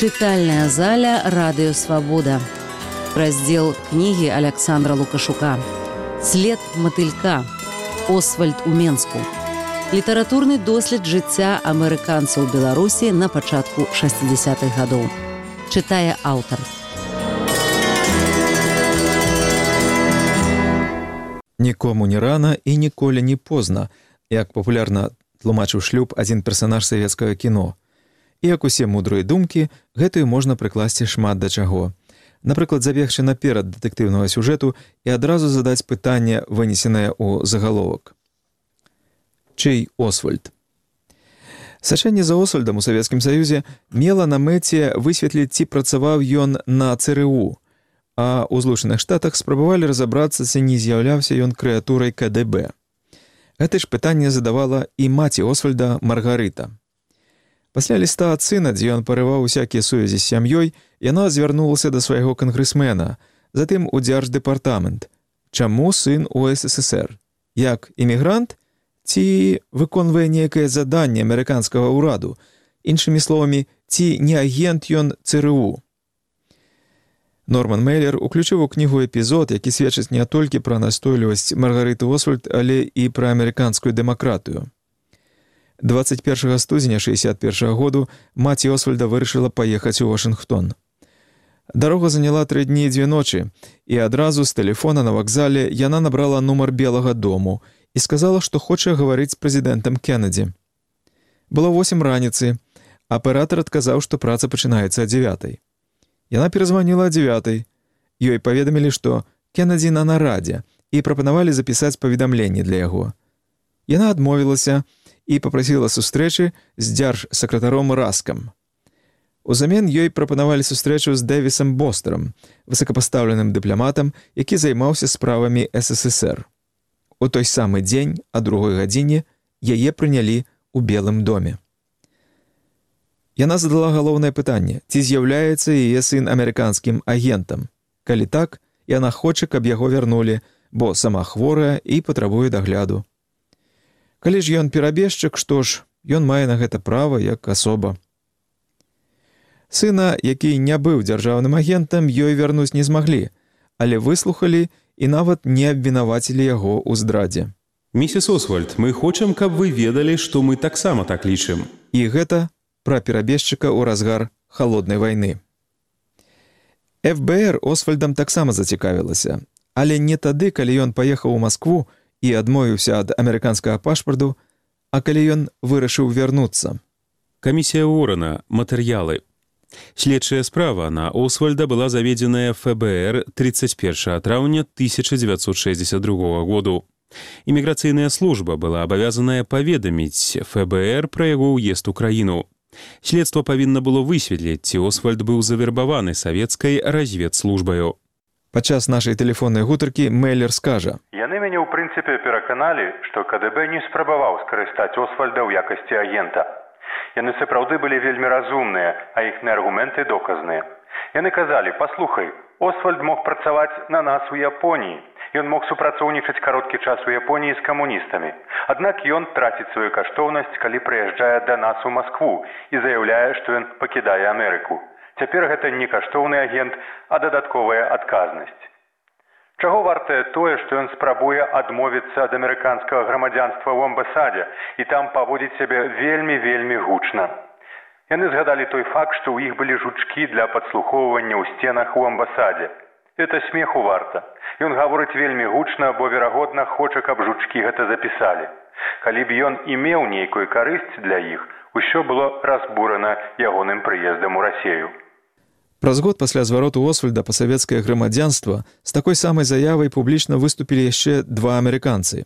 Чытальная заля «Радыё Свабода». Раздзел кнігі Аляксандра Лукашука. «След матылька. Освальд у Менску». Літаратурны дослед жыцця амерыканцаў Беларусі на пачатку 60-х гадоў. Чытае аўтар. Нікому не рана і ніколі не позна, як папулярна тлумачыў шлюб адзін персанаж савецкага кіно. І як усе мудрыя думкі, гэтую можна прыкласці шмат да чаго. Напрыклад, забегчы наперад дэтэктыўнага сюжэту і адразу задаць пытанне, вынесенае ў загаловак. Чый Освальд? Сачэнне за Освальдам у Савецкім Саюзе мела на мэце высветліць, ці працаваў ён на ЦРУ, а ў Злучаных Штатах спрабавалі разабрацца, ці не з'яўляўся ён крэатурай КДБ. Гэта ж пытанне задавала і маці Освальда Маргарыта. Пасля ліста ад сына, дзе ён парываў усякія сувязі з сям'ёй, яна звярнулася да свайго кангрэсмена, затым у дзярждэпартамент. Чаму сын у СССР? Як эмігрант? Ці выконвае нейкае заданне амерыканскага ўраду? Іншымі словамі, ці не агент ён ЦРУ? Норман Мейлер уключыў у кнігу эпізод, які сведчыць не толькі пра настойлівасць Маргарыты Освальд, але і пра амерыканскую дэмакратыю. 21 студзеня 61 году маці Освальда вырашыла паехаць у Вашынгтон. Дарога заняла 3 дні і 2 ночы, і адразу з тэлефона на вакзале яна набрала нумар Белага дому і сказала, што хоча гаварыць з прэзідэнтам Кеннеді. Было 8 раніцы, аператар адказаў, што праца пачынаецца о 9. Яна перазваніла о 9. Ёй паведамілі, што Кеннеді на нарадзе і прапанавалі запісаць паведамленне для яго. Яна адмовілася і папрасіла сустрэчы з дзяржсакратаром Раскам. Узамен ёй прапанавалі сустрэчу з Дэвісам Бостерам, высокапастаўленым дыпламатам, які займаўся справамі СССР. У той самы дзень, о 2 гадзіне, яе прынялі ў Белым доме. Яна задала галоўнае пытанне, ці з'яўляецца яе сын амерыканскім агентам. Калі так, яна хоча, каб яго вярнулі, бо сама хворая і патрабуе дагляду. Калі ж ён перабежчык, што ж, ён мае на гэта права як асоба. Сына, які не быў дзяржаўным агентам, ёй вярнуць не змаглі, але выслухалі і нават не абвінавацілі яго ў здрадзе. Місіс Освальд, мы хочам, каб вы ведалі, што мы таксама так лічым. І гэта пра перабежчыка ў разгар халоднай вайны. ФБР Освальдам таксама зацікавілася, але не тады, калі ён паехаў у Маскву і адмовіўся ад амерыканскага пашпарту, а калі ён вырашыў вярнуцца. Камісія Уоррена. Матэрыялы. Следчая справа на Освальда была заведзеная ФБР 31 траўня 1962 году. Іміграцыйная служба была абавязаная паведаміць ФБР пра яго ўезд у краіну. Следства павінна было высветліць, ці Освальд быў завербаваны савецкай разведслужбаю. Падчас нашай тэлефоннай гутаркі Мейлер скажа: «Яны мяне ў прынцыпе пераканалі, што КДБ не спрабаваў скарыстаць Освальда ў якасці агента. Яны сапраўды былі вельмі разумныя, а іхныя аргументы доказныя. Яны казалі: паслухай, Освальд мог працаваць на нас у Японіі. Ён мог супрацоўнічаць кароткі час у Японіі з камуністамі. Аднак ён траціць сваю каштоўнасць, калі прыязджае да нас у Маскву і заяўляе, што ён пакідае Амерыку. Цяпер гэта не каштоўны агент, а дадатковая адказнасць. Чаго вартае тое, што ён спрабуе адмовіцца ад амерыканскага грамадзянства ў амбасадзе і там паводзіць сябе вельмі гучна. Яны згадалі той факт, што ў іх былі жучкі для падслухоўвання ў сценах у амбасадзе. Это смеху варта. Ён гаворыць вельмі гучна, бо, верагодна, хоча, каб жучкі гэта запісалі. Калі б ён і меў нейкую карысць для іх, усё было разбурана ягоным прыездам у Расею. Праз год пасля звароту Освальда па савецкае грамадзянства з такой самай заявай публічна выступілі яшчэ 2 амерыканцы.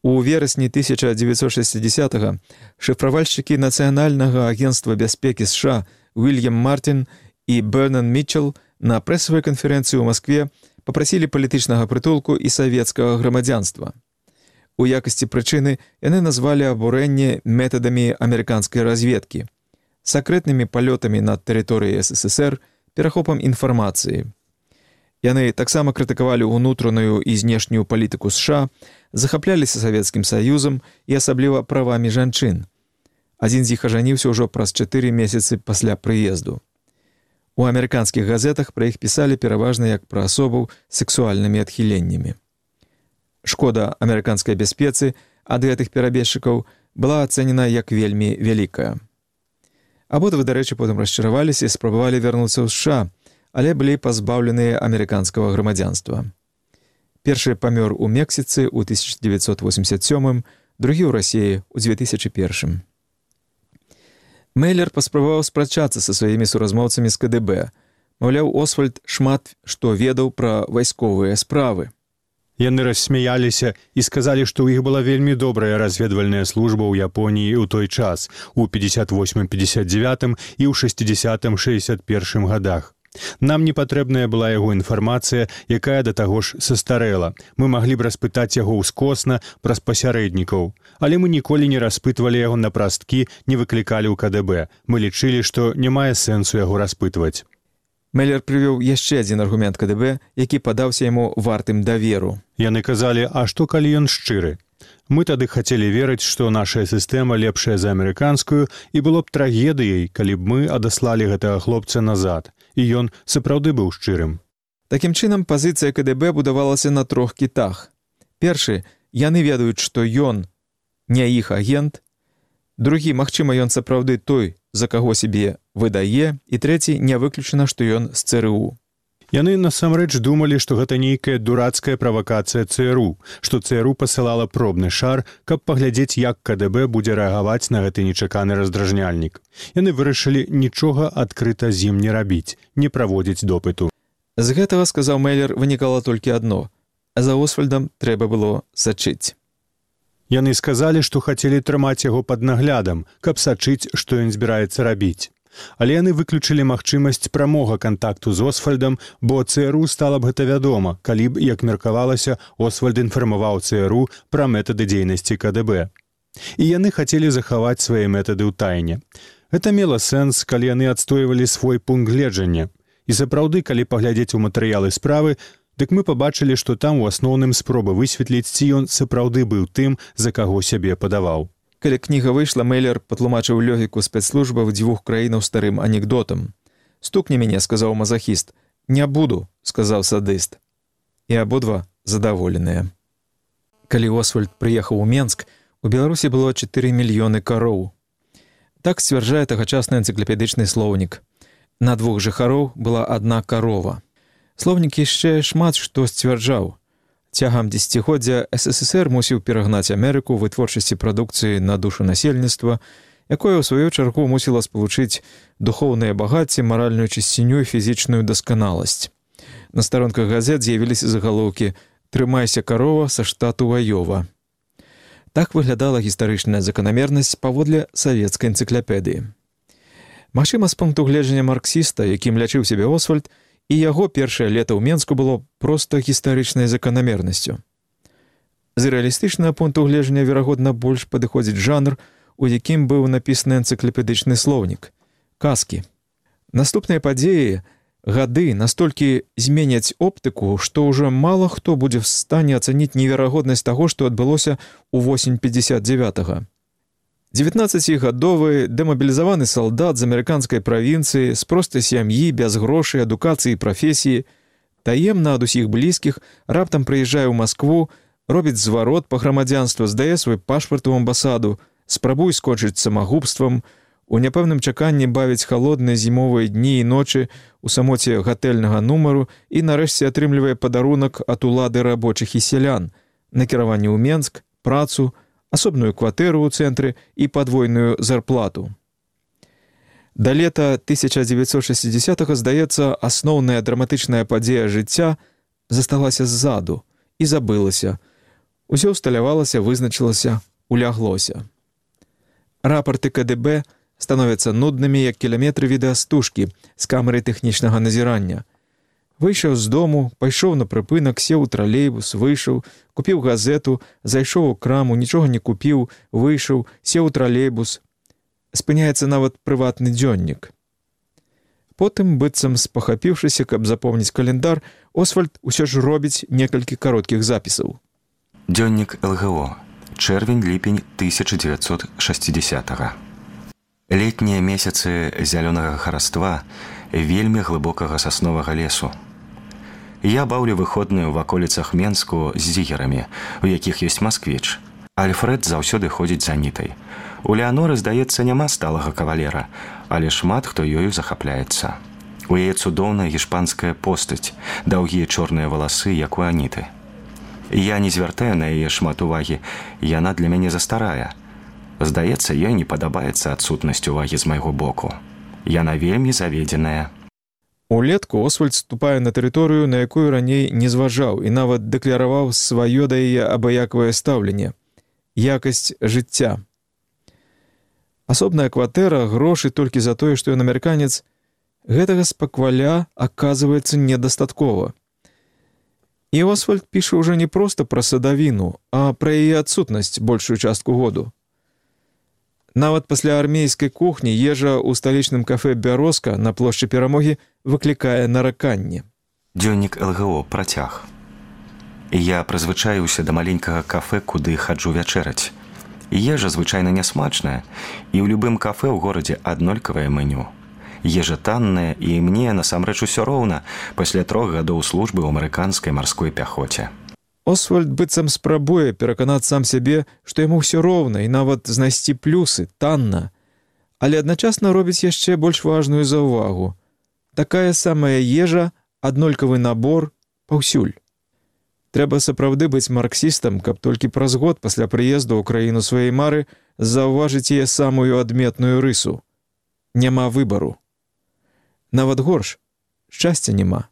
У верасні 1960-го шыфравальшчыкі Нацыянальнага агенцтва бяспекі США Уільям Мартін і Бернан Мітчел на прэсавай канферэнцыі ў Маскве папрасілі палітычнага прытулку і савецкага грамадзянства. У якасці прычыны яны назвалі абурэнне метадамі амерыканскай разведкі, сакрэтнымі палётамі над тэрыторыяй СССР, перахопам інфармацыі. Яны таксама крытыкавалі ўнутраную і знешнюю палітыку США, захапляліся Савецкім Саюзам і асабліва правамі жанчын. Адзін з іх ажаніўся ўжо праз 4 месяцы пасля прыезду. У амерыканскіх газетах пра іх пісалі пераважна як пра асобаў з сексуальнымі адхіленнямі. Шкода амерыканскай бяспецы ад гэтых перабежчыкаў была ацэнена як вельмі вялікая. Абодва, дарэчы, потым расчараваліся і спрабавалі вярнуцца ў США, але былі пазбаўленыя амерыканскага грамадзянства. Першы памёр у Мексіцы ў 1987, другі ў Расіі ў 2001. Мейлер паспрабаваў спрачацца са сваімі суразмоўцамі з КДБ. Маўляў, Освальд шмат што ведаў пра вайсковыя справы. Яны рассмяяліся і сказалі, што ў іх была вельмі добрая разведвальная служба ў Японіі ў той час, у 58-59 і ў 60-61 годах. Нам не патрэбная была яго інфармацыя, якая да таго ж састарэла. Мы маглі б распытаць яго ўскосна праз пасярэднікаў, але мы ніколі не распытвалі яго на прасткі, не выклікалі ў КДБ. Мы лічылі, што не мае сэнсу яго распытваць. Мейлер прывёў яшчэ адзін аргумент КДБ, які падаўся яму вартым даверу. Яны казалі, а што калі ён шчыры? Мы тады хацелі верыць, што наша сістэма лепшая за амерыканскую, і было б трагедыяй, калі б мы адаслалі гэтага хлопца назад. І ён сапраўды быў шчырым. Такім чынам, пазіцыя КДБ будавалася на трох кітах. Першы, яны ведаюць, што ён не іх агент. Другі, магчыма, ён сапраўды той, за каго сябе выдае. І трэці, не выключана, што ён з ЦРУ. Яны насамрэч думалі, што гэта нейкая дурацкая правакацыя ЦРУ, што ЦРУ пасылала пробны шар, каб паглядзець, як КДБ будзе рэагаваць на гэты нечаканы раздражняльнік. Яны вырашылі нічога адкрыта з ім не рабіць, не праводзіць допыту. З гэтага, сказаў Мейлер, вынікала толькі адно. А за Освальдам трэба было сачыць. Яны сказалі, што хацелі трымаць яго пад наглядам, каб сачыць, што ён збіраецца рабіць. Але яны выключылі магчымасць прамога кантакту з Освальдам, бо ЦРУ стала б гэта вядома, калі б, як меркавалася, Освальд інфармаваў ЦРУ пра метады дзейнасці КДБ. І яны хацелі захаваць свае метады ў тайне. Гэта мела сэнс, калі яны адстойвалі свой пункт гледжання. І сапраўды, калі паглядзець у матэрыялы справы, дык мы пабачылі, што там у асноўным спроба высветліць, ці ён сапраўды быў тым, за каго сябе падаваў. Калі кніга выйшла, Мейлер патлумачыў логіку спецслужбаў дзвюх краінаў старым анекдотам. «Стукне мяне», — сказаў мазахіст. «Не буду», — сказаў садыст. І абодва задаволеныя. Калі Освальд прыехаў у Менск, у Беларусі было 4 мільёны кароў. Так сцвярджае тагачасны энцыклапедычны слоўнік. На 2 жыхароў была 1 карова. Слоўнік яшчэ шмат што сцвярджаў. Цягам дзесяцігоддзя СССР мусіў перагнаць Амерыку ў вытворчасці прадукцыі на душу насельніцтва, якое ў сваю чаргу мусіла спалучыць духоўнае багацце, маральную чысціню і фізічную дасканаласць. На старонках газет з'явіліся загалоўкі «Трымайся, карова, са штату Айова». Так выглядала гістарычная заканамернасць паводле савецкай энцыклапедыі. Магчыма, з пункту гледжання марксіста, якім лячыў сябе Освальд, і яго першае лета ў Менску было проста гістарычнай заканамернасцю. З рэалістычнага пункту гледжання, верагодна, больш падыходзіць жанр, у якім быў напісаны энцыклапедычны слоўнік – казкі. Наступныя падзеі, гады настолькі зменяць оптыку, што ўжо мала хто будзе в стане ацаніць неверагоднасць таго, што адбылося ў восень 59-го. 19-гадовы дэмабілізаваны салдат з амерыканскай правінцыі, з простай сям'і, без грошай, адукацыі і прафесіі, таемна ад усіх блізкіх, раптам прыязджае ў Маскву, робіць зварот па грамадзянству, здае свой пашпарт у амбасаду, спрабуе скончыць самагубствам, у няпэўным чаканні бавіць халодныя зімовыя дні і ночы у самоце гатэльнага нумару і нарэшце атрымлівае падарунак ад улады рабочых і сялян, накіраванне ў Менск, працу, асобную кватэру ў цэнтры і падвойную зарплату. Да лета 1960-го, здаецца, асноўная драматычная падзея жыцця засталася ззаду і забылася. Усё ўсталявалася, вызначылася, уляглося. Рапарты КДБ становяцца нуднымі, як кіламетры відэастужкі з камеры тэхнічнага назірання. Выйшаў з дому, пайшоў на прыпынак, сеў у тралейбус, выйшаў, купіў газету, зайшоў у краму, нічога не купіў, выйшаў, сеў у тралейбус. Спыняецца нават прыватны дзённік. Потым, быццам спахапіўшыся, каб запомніць календар, Освальд усё ж робіць некалькі кароткіх запісаў. Дзённік ЛГО. Чэрвень-ліпень 1960-го. Летнія месяцы зялёнага хараства вельмі глыбокага сасновага лесу. Я баўлю выходную ў ваколіцах Менску з зігерамі, у якіх ёсць масквіч. Альфред заўсёды ходзіць за нітай. У Леаноры, здаецца, няма сталага кавалера, але шмат хто ёю захапляецца. У яе цудоўная гішпанская постаць, даўгія чорныя валасы, як у Аніты. Я не звяртаю на яе шмат увагі, яна для мяне застарая. Здаецца, ёй не падабаецца адсутнасць увагі з майго боку. Яна вельмі заведзеная. Улетку Освальд ступае на тэрыторыю, на якую раней не зважаў і нават дэкляраваў сваё да яе абыякавае стаўленне. Якасць жыцця. Асобная кватэра, грошы толькі за тое, што ён амерыканец, гэтага спакваля аказваецца недастаткова. І Освальд піша ўжо не проста пра садавіну, а пра яе адсутнасць большую частку году. Нават пасля армейскай кухні ежа ў сталічным кафе «Бярозка» на плошчы Перамогі выклікае нараканне. Дзённік ЛГО, працяг. Я прызвычаіўся да маленькага кафе, куды хаджу вячэраць. Ежа звычайна нясмачная, і ў любым кафе ў горадзе аднолькавае меню. Ежа танная, і мне насамрэч усё роўна пасля 3 гадоў службы ў амерыканскай марской пяхоце. Освальд быццам спрабуе пераканаць сам сябе, што яму ўсё роўна і нават знайсці плюсы, танна, але адначасна робіць яшчэ больш важную заўвагу. Такая самая ежа, аднолькавы набор паўсюль. Трэба сапраўды быць марксістам, каб толькі праз год пасля прыезду ў краіну сваёй мары заўважыць яе самую адметную рысу. Няма выбару. Нават горш, шчасця няма.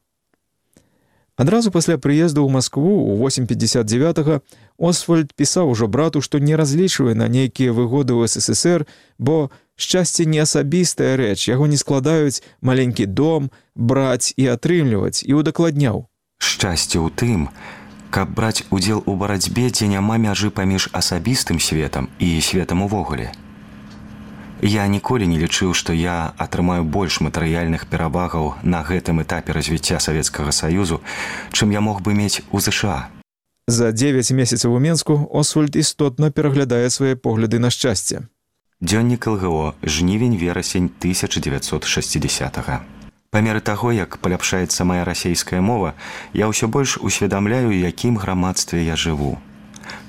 Адразу пасля прыезду ў Маскву ў 859-го Освальд пісаў ужо брату, што не разлічвае на нейкія выгоды ў СССР, бо шчасце не асабістая рэч, яго не складаюць маленькі дом, браць і атрымліваць, і удакладняў. Шчасце ў тым, каб браць удзел у барацьбе, дзе няма мяжы паміж асабістым светам і светам увогуле. Я ніколі не лічыў, што я атрымаю больш матэрыяльных перавагаў на гэтым этапе развіцця Савецкага Саюзу, чым я мог бы мець у ЗША. За 9 месяцаў у Менску Освальд істотна пераглядае свае погляды на шчасце. Дзённік ЛГО, жнівень-верасень 1960-го. Па меры таго, як паляпшаецца мая расейская мова, я ўсё больш усведамляю, якім грамадстве я жыву.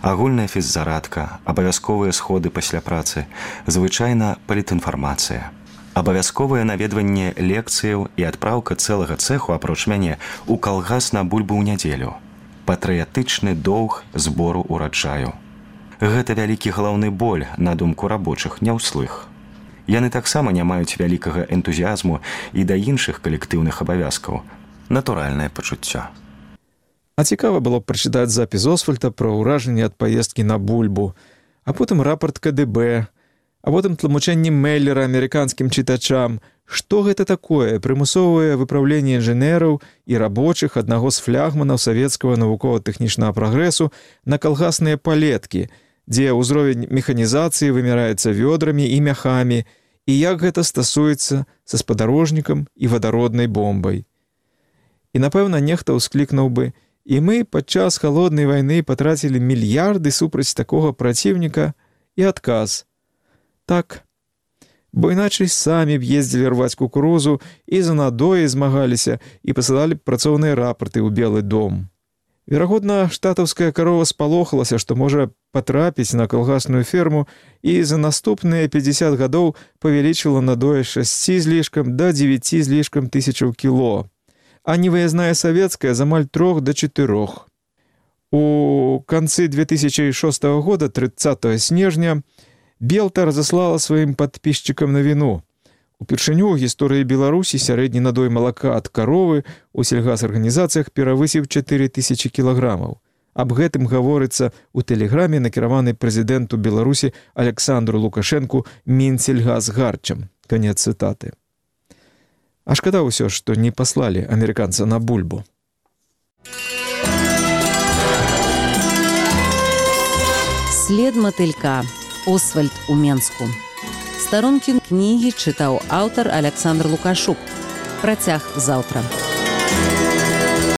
Агульная фіззарадка, абавязковыя сходы пасля працы, звычайна палітінфармацыя. Абавязковае наведванне лекцыяў і адпраўка цэлага цэху, апроч мяне, у калгас на бульбу ў нядзелю. Патрыятычны доўг збору ураджаю. Гэта вялікі галаўны боль, на думку рабочых, не ўслых. Яны таксама не маюць вялікага энтузіязму і да іншых калектыўных абавязкаў. Натуральнае пачуццё. А цікава было б прачытаць запіс Освальда пра ўражанне ад паездкі на бульбу, а потым рапорт КДБ, а потым тлумачэнне Меллера амерыканскім чытачам, што гэта такое прымусовае выпраўленне інжынераў і рабочых аднаго з флягманаў савецкага навукова-тэхнічнага прагрэсу на калгасныя палеткі, дзе ўзровень механізацыі вымяраецца вёдрамі і мяхамі, і як гэта стасуецца са спадарожнікам і вадароднай бомбай. І, напэўна, нехта ўсклікнуў бы: «І мы падчас халоднай вайны патрацілі мільярды супраць такога праціўніка», і адказ: «Так, бо іначай самі б ездзілі рваць кукурузу і за надоі змагаліся і пасылалі б працоўныя рапорты ў Белы дом». Верагодна, штатаўская карова спалохалася, што можа патрапіць на калгасную ферму, і за наступныя 50 гадоў павялічыла надоі 6 з лішкам да 9 з лішкам тысячаў кіло. А невыязная савецкая з амаль 3 до 4. У канцы 2006 года, 30 снежня, Белта разаслала сваім падпісчыкам навіну. Упершыню ў гісторыі Беларусі сярэдні надой малака ад каровы ў сельгасарганізацыях перавысіў 4000 кілаграмаў. Аб гэтым гаворыцца ў тэлеграме, накіраванай прэзідэнту Беларусі Александру Лукашэнку Мінсельгасгарчам. Канец цытаты. А шкада ўсё, што не паслалі амерыканца на бульбу. След матылька. Освальд у Менску. Старонкі кнігі чытаў аўтар Александр Лукашук. Працяг заўтра.